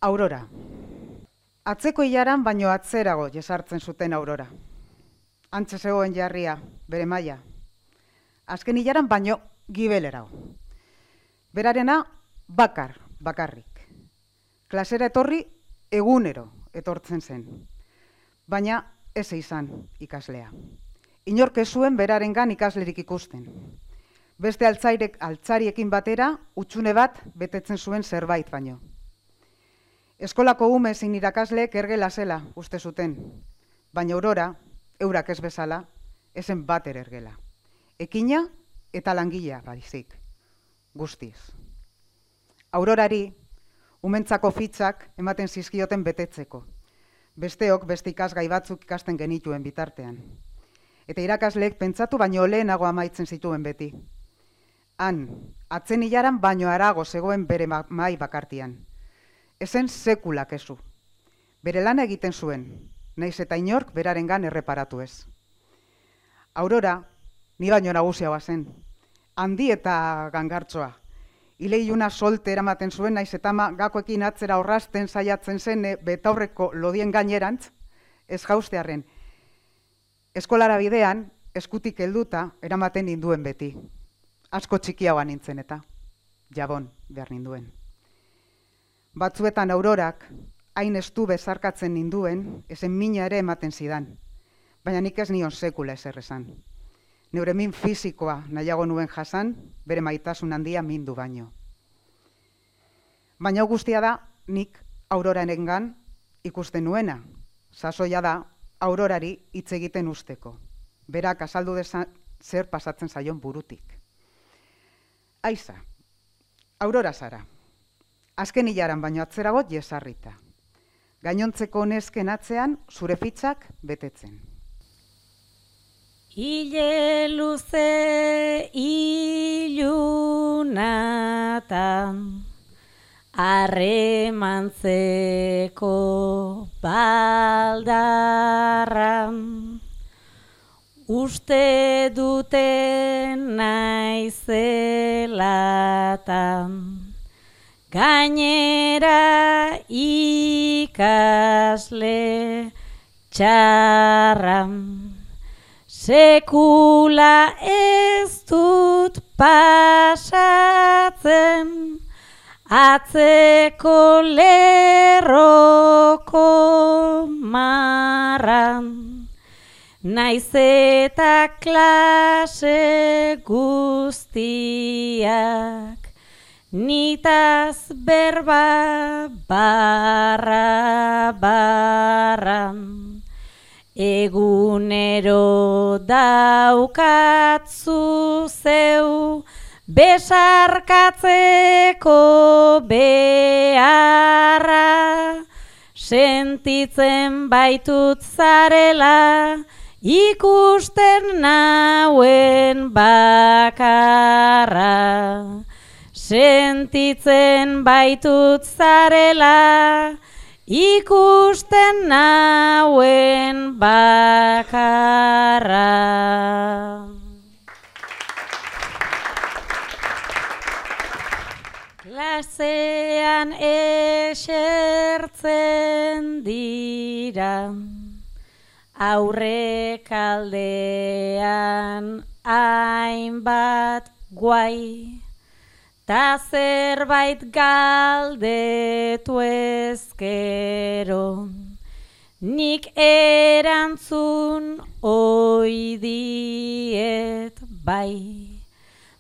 Aurora. Atzeko ilaran baino atzerago jesartzen zuten Aurora. Antxe zegoen jarria, bere maila. Azken ilaran baino gibelerago. Berarena bakarrik. Klasera etorri egunero etortzen zen. Baina ez izan ikaslea. Inork ez zuen berarengan ikaslerik ikusten. Beste altzariekin batera, utxune bat betetzen zuen zerbait baino. Eskolako ume zein irakasleek ergela zela uste zuten, baina Aurora, eurak ez bezala, ezen bater ergela. Ekina eta langilea baizik, guztiz. Aurorari, umentzako fitzak ematen zizkioten betetzeko. Besteok beste ikasgai batzuk ikasten genituen bitartean. Eta irakasleek pentsatu baino lehenago amaitzen zituen beti. Han, atzen ilaran baino harago zegoen bere mahai bakartian. Ezen sekula kezu. Bere lana egiten zuen, naiz eta inork berarengan erreparatu ez. Aurora, ni baino nagusiagoa zen, handi eta gangartsoa. Ileiluna solte eramaten zuen, naiz eta gakoekin atzera orrasten saiatzen zen betaurreko lodien gainerantz, ez jaustearren. Eskolara bidean, eskutik helduta, eramaten ninduen beti. Asko txikiagoa nintzen eta, jabon behar ninduen. Batzuetan Aurorak, hain estu bezarkatzen ninduen, ezen mina ere ematen zidan. Baina nik ez nion sekula ezer esan. Neure min fisikoa nahiago nuen jasan, bere maitasun handia mindu baino. Baina guztia da, nik Aurorarengan ikusten nuena. Sasoia da, Aurorari hitz egiten usteko. Berak azaldu dezan zer pasatzen zaion burutik. Aiza, Aurora zara. Azken hilaran baino atzerago jesarrita. Gainontzeko nesken atzean zure fitzak betetzen. Ile luze ilunatan harremantzeko baldarran uste duten naizelatan gainera ikasle txarran. Sekula ez dut pasatzen atzeko lerroko marran. Naiz eta klase guztiak nitaz berba barran. Egunero daukatzu zeu besarkatzeko beharra. Sentitzen baitut zarela ikusten nauen bakarra. Sentitzen baitut zarela ikusten nauen bakarra. Klasean esertzen dira, aurrekaldean hainbat guai, ta zerbait galdetu ezkero, nik erantzun ohi diet bai.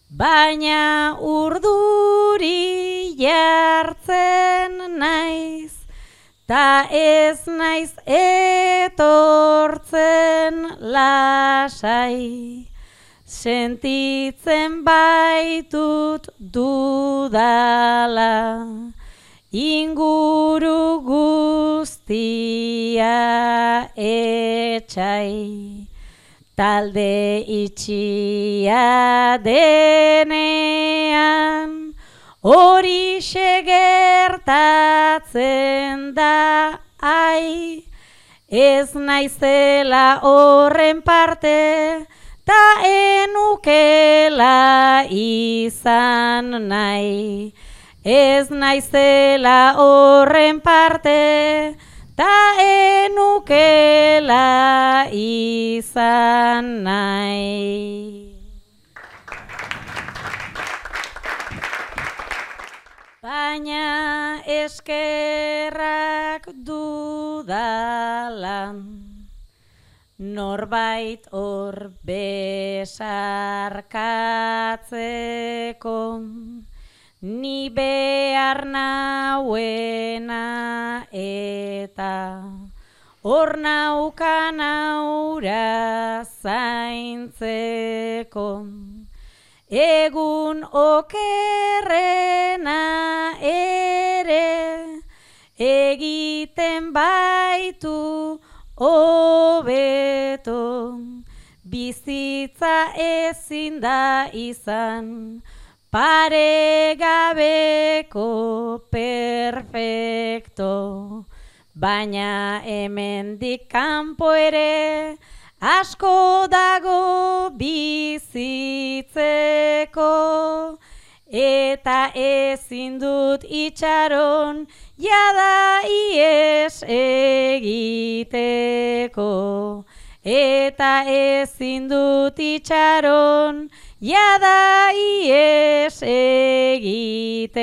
Baina urduri jartzen naiz, ta ez naiz etortzen lasai. Sentitzen baitut dudala, inguru guztia etxai. Talde itxia denean, horixe gertatzen da ai. Ez naizela horren parte, ta enukela izan nahi. ez naizela horren parte, ta enukela izan nahi. Baina eskerrak dudalan, norbait hor besarkatzeko, ni behar nauena eta hor naukan aura zaintzeko. Egun okerrena ere egiten baitu hobeto, bizitza ezin da izan paregabeko perfecto, baina hemendik kanpo ere asko dago bizitzeko, eta ezin dut itxaron jada ies egiteko, eta ezin dut itxaron jada ies egiteko.